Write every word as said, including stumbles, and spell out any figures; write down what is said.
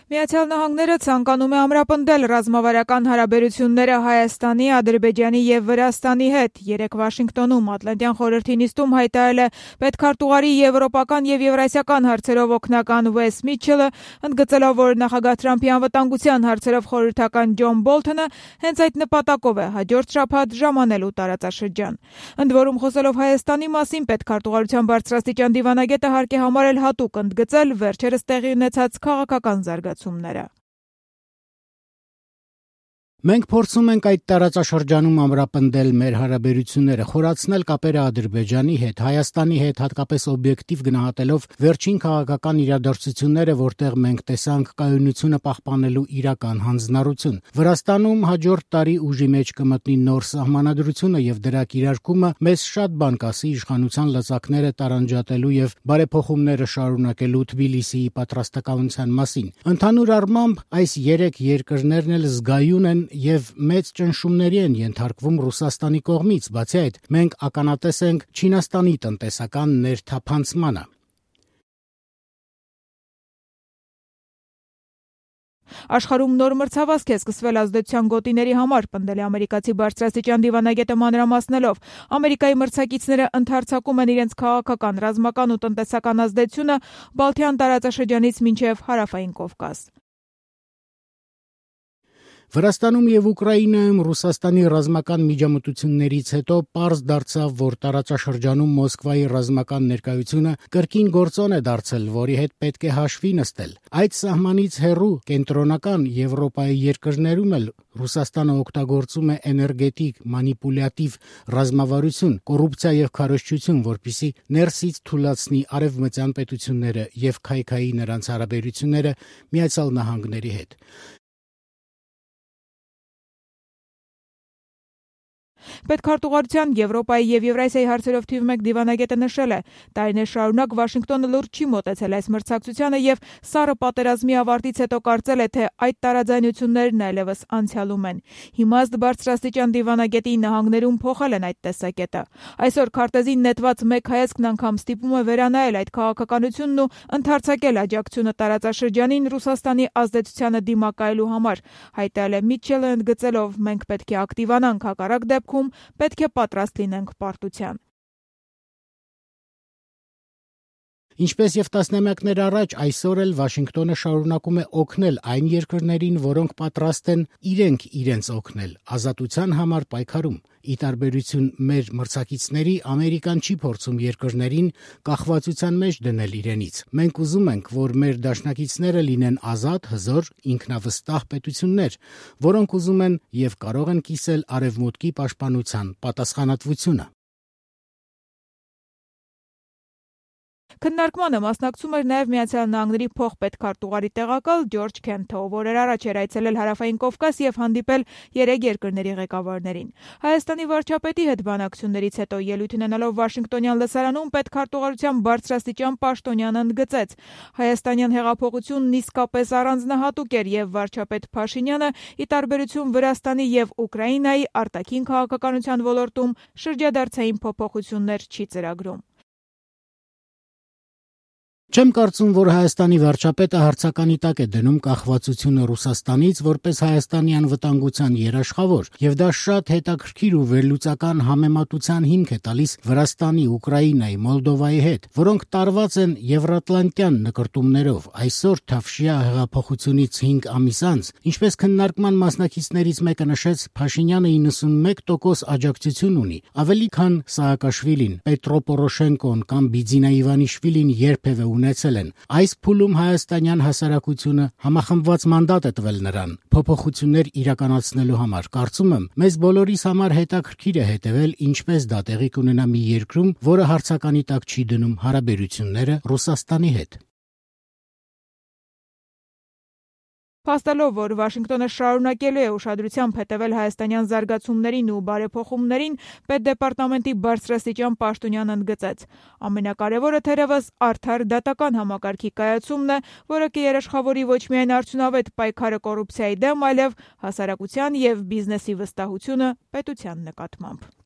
Միացյալ Նահանգները ցանկանում է ամրապնդել ռազմավարական հարաբերությունները Հայաստանի, Ադրբեջանի եւ Վրաստանի հետ։ Երեկ Վաշինգտոնում Ատլանտյան խորհրդի նիստում հայտարարել է պետքարտուղարի եվրոպական եւ եվրասիական հարցերով օգնական Վես Միչելը, ընդգծելով, որ նախագահ Թրամփի անվտանգության հարցերով խորհրդական Ջոն Բոլթոնը հենց այդ նպատակով է հաջորդ շաբաթ ժամանելու տարածաշրջան։ Ընդ որում, խոսելով Հայաստանի մասին, պետքարտուղարության բարձրաստիճան դիվանագետը հարկ է համարել հատուկ ընդգծել վերջերս տեղի ունեցած քաղաքական զարգացումները։ Մենք փորձում ենք այդ տարածաշրջանում ամրապնդել մեր հարաբերությունները, խորացնել կապերը Ադրբեջանի հետ, Հայաստանի հետ, հատկապես օբյեկտիվ գնահատելով վերջին քաղաքական իրադարձությունները, որտեղ մենք տեսանք կայունությունը պահպանելու իրական հանձնառություն։ Վրաստանում հաջորդ տարի ուժի մեջ կմտնի նոր սահմանադրությունը եւ դրա կիրարկումը մեզ շատ բան կասի իշխանության լծակները տարանջատելու եւ բարեփոխումները շարունակելու Թբիլիսիի պատրաստակամության մասին։ Ընդհանուր առմամբ այս երեք երկրներն էլ զգայուն են եւ մեծ ճնշումների են ենթարկվում Ռուսաստանի կողմից, բացի այդ, մենք ականատես ենք Չինաստանի տնտեսական ներթափանցմանը։ Աշխարհում նոր մրցավազք է սկսվել ազդեցության գոտիների համար, պնդել է ամերիկացի բարձրաստիճան դիվանագետը մանրամասնելով։ Ամերիկայի մրցակիցները ընդհարձակում են իրենց քաղաքական, ռազմական ու տնտեսական ազդեցությունը Բալթյան տարածաշրջանից մինչև Հարավային Կովկաս։ Վրաստանում եւ Ուկրաինայում Ռուսաստանի ռազմական միջամտություններից հետո պարզ դարձավ, որ տարածաշրջանում Մոսկվայի ռազմական ներկայությունը կրկին գործոն է դարձել, որի հետ պետք է հաշվի նստել։ Այդ սահմանից հեռու կենտրոնական Եվրոպայի երկրներում էլ Ռուսաստանը օգտագործում է էներգետիկ, մանիպուլյատիվ ռազմավարություն, կոռուպցիա եւ քարոզչություն, որպիսի ներսից թուլացնի արևմտյան պետությունները եւ քայքայի նրանց հարաբերությունները Միացյալ Նահանգների հետ։ Պետքարտուղարության Եվրոպայի եւ Եվրասիայի հարցերով թիվ մեկ դիվանագետը նշել է. տարիներ շարունակ Վաշինգտոնը լուրջ չի մոտեցել այս մրցակցությանը եւ սառը պատերազմի ավարտից հետո կարծել է, թե այդ տարաձայնություններն այլևս անցյալում են։ Հիմա ըստ բարձրաստիճան դիվանագետի նահանգներում փոխել են այդ տեսակետը։ Այսօր քարտեզին նետված մեկ հայացքն անգամ ստիպում է վերանայել այդ քաղաքականությունն ու ընդհարձակել աջակցությունը տարածաշրջանին Ռուսաստանի ազդեցությանը դիմակայելու համար, հայտարարել է Միչելը, ընդգծելով, մենք պետք է ակտիվանանք, հակառակ դեպքում պետք է պատրաստ լինենք պարտության։ Ինչպես եւ տասնամյակներ առաջ, այսօր էլ Վաշինգտոնը շարունակում է օգնել այն երկրներին, որոնք պատրաստ են իրենք իրենց օգնել ազատության համար պայքարում։ Ի տարբերություն մեր մրցակիցների, Ամերիկան չի փորձում երկրներին կախվածության մեջ դնել իրենից։ Մենք ուզում ենք, որ մեր դաշնակիցները լինեն ազատ, հզոր, ինքնավստահ պետություններ, որոնք ուզում են եւ կարող են կիսել արևմուտքի պաշտպանության պատասխանատվությունը։ Քննարկմանը մասնակցում էր նաև Միացյալ Նահանգների փոխպետքարտուղարի տեղակալ Ջորջ Քենթը, ով օրեր առաջ էր այցելել Հարավային Կովկաս եւ հանդիպել երեք երկրների ղեկավարներին։ Հայաստանի վարչապետի հետ բանակցություններից հետո ելույթ ունենալով Վաշինգտոնյան լսարանում պետքարտուղարության բարձրաստիճան պաշտոնյանը ընդգծեց. Հայաստանյան հեղափոխությունն իսկապես առանձնահատուկ էր եւ վարչապետ Փաշինյանը, ի տարբերություն Վրաստանի եւ Ուկրաինայի, արտաքին քաղաքականության ոլորտում շրջադարձային փոփոխություններ չի ծրագրում։ Չեմ կարծում, որ Հայաստանի վարչապետը հարցականի տակ է դնում կախվածությունը Ռուսաստանից որպես Հայաստանի անվտանգության երաշխավոր, եւ դա շատ հետաքրքիր ու վերլուծական համեմատության հիմք է տալիս Վրաստանի, Ուկրաինայի, Մոլդովայի հետ, որոնք տարված են եվրատլանտյան նկրտումներով։ Այսօր Թավշյա հեղափոխությունից հինգ ամիս անց, ինչպես քննարկման մասնակիցներից մեկը նշեց, Փաշինյանը իննսունմեկ տոկոս աջակցություն ունի, ավելի քան Սաակաշվիլին, Պետրո Պորոշենկոն կամ Բիձինա Իվանիշվիլին երբևէ ունեցել են։ Այս փուլում հայաստանյան հասարակությունը համախմբված մանդատ է տվել նրան փոփոխություններ իրականացնելու համար։ Կարծում եմ, մեզ բոլորիս համար հետաքրքիր է հետևել, ինչպես դա տեղի կունենա մի երկրում, որը հարցականի տակ չի դնում հարաբերությունները Ռուսաստանի հետ։ Փաստելով, որ Վաշինգտոնը շարունակելու է ուշադրությամբ հետևել հայաստանյան զարգացումներին ու բարեփոխումներին, Պետդեպարտամենտի բարձրաստիճան պաշտոնյան ընդգծեց. ամենակարևորը թերևս արդար դատական համակարգի կայացումն է, որը կերաշխավորի ոչ միայն արդյունավետ պայքարը կոռուպցիայի դեմ, այլև հասարակության եւ բիզնեսի վստահությունը պետության նկատմամբ։